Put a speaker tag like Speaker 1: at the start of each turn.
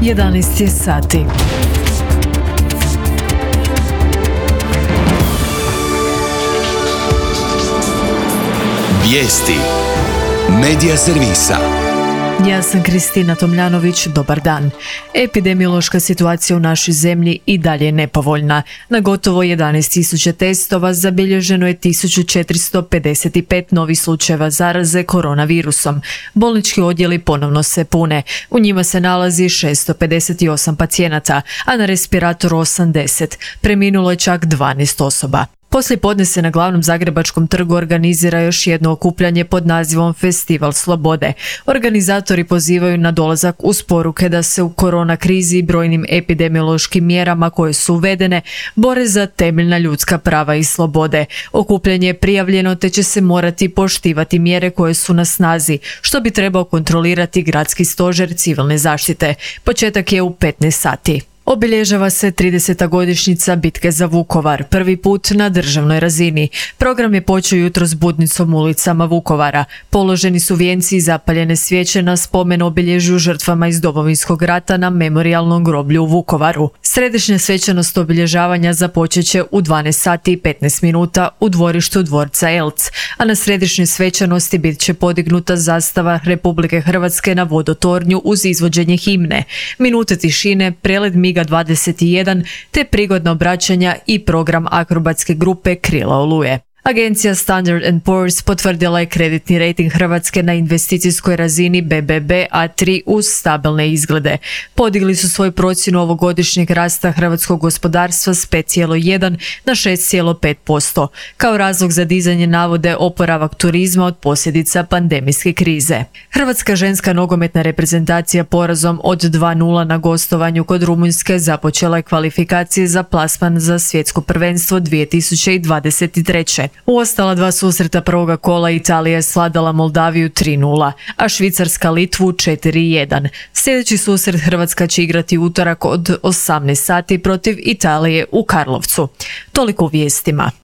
Speaker 1: 11 je sati.
Speaker 2: Vijesti Medija servisa.
Speaker 1: Ja sam Kristina Tomljanović, dobar dan. Epidemiološka situacija u našoj zemlji i dalje je nepovoljna. Na gotovo 11.000 testova zabilježeno je 1455 novih slučajeva zaraze koronavirusom. Bolnički odjeli ponovno se pune. U njima se nalazi 658 pacijenata, a na respiratoru 80. Preminulo je čak 12 osoba. Poslije podne se na glavnom zagrebačkom trgu organizira još jedno okupljanje pod nazivom Festival slobode. Organizatori pozivaju na dolazak uz poruke da se u korona krizi i brojnim epidemiološkim mjerama koje su uvedene bore za temeljna ljudska prava i slobode. Okupljanje je prijavljeno te će se morati poštivati mjere koje su na snazi, što bi trebao kontrolirati gradski stožer civilne zaštite. Početak je u 15 sati. Obilježava se 30. godišnjica bitke za Vukovar, prvi put na državnoj razini. Program je počeo jutros budnicom ulicama Vukovara. Položeni su vijenci i zapaljene svijeće na spomen obilježju žrtvama iz Domovinskog rata na memorijalnom groblju u Vukovaru. Središnja svečanost obilježavanja započet će u 12 sati i 15 minuta u dvorištu dvorca Elc, a na središnjoj svečanosti bit će podignuta zastava Republike Hrvatske na vodotornju uz izvođenje himne, minute tišine, prelet MIG 21 te prigodna obraćanja i program akrobatske grupe Krila oluje. Agencija Standard & Poor's potvrdila je kreditni rejting Hrvatske na investicijskoj razini BBB A3 uz stabilne izglede. Podigli su svoju procjenu ovogodišnjeg rasta hrvatskog gospodarstva s 5,1 na 6,5%. Kao razlog za dizanje navode oporavak turizma od posljedica pandemijske krize. Hrvatska ženska nogometna reprezentacija porazom od 2:0 na gostovanju kod Rumunjske započela je kvalifikacije za plasman za svjetsko prvenstvo 2023. U ostala dva susreta prvoga kola Italija je svladala Moldaviju 3:0, a Švicarska Litvu 4:1. Sljedeći susret Hrvatska će igrati utorak od 18 sati protiv Italije u Karlovcu. Toliko u vijestima.